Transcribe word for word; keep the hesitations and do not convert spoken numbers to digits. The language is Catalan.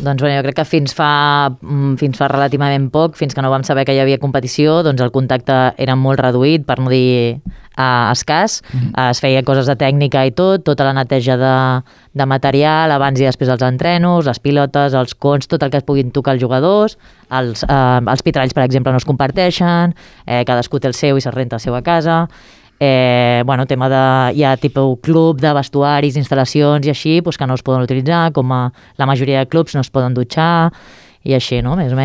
Doncs bueno, jo crec que fins fa, fins fa relativament poc, fins que no vam saber que hi havia competició, doncs el contacte era molt reduït, per no dir uh, escàs. Mm-hmm. uh, es feia coses de tècnica i tot, tota la neteja de, de material, abans i després dels entrenos, les pilotes, els cons, tot el que es puguin tocar els jugadors, els, uh, els pitralls, per exemple, no es comparteixen, eh, cadascú té el seu i se'l renta el seu a casa. Eh, bueno, tema de, hi ha tipus club de vestuaris, instal·lacions i així, pues, que no es poden utilitzar, com a la majoria de clubs no es poden dutxar i així, no? Més o menys.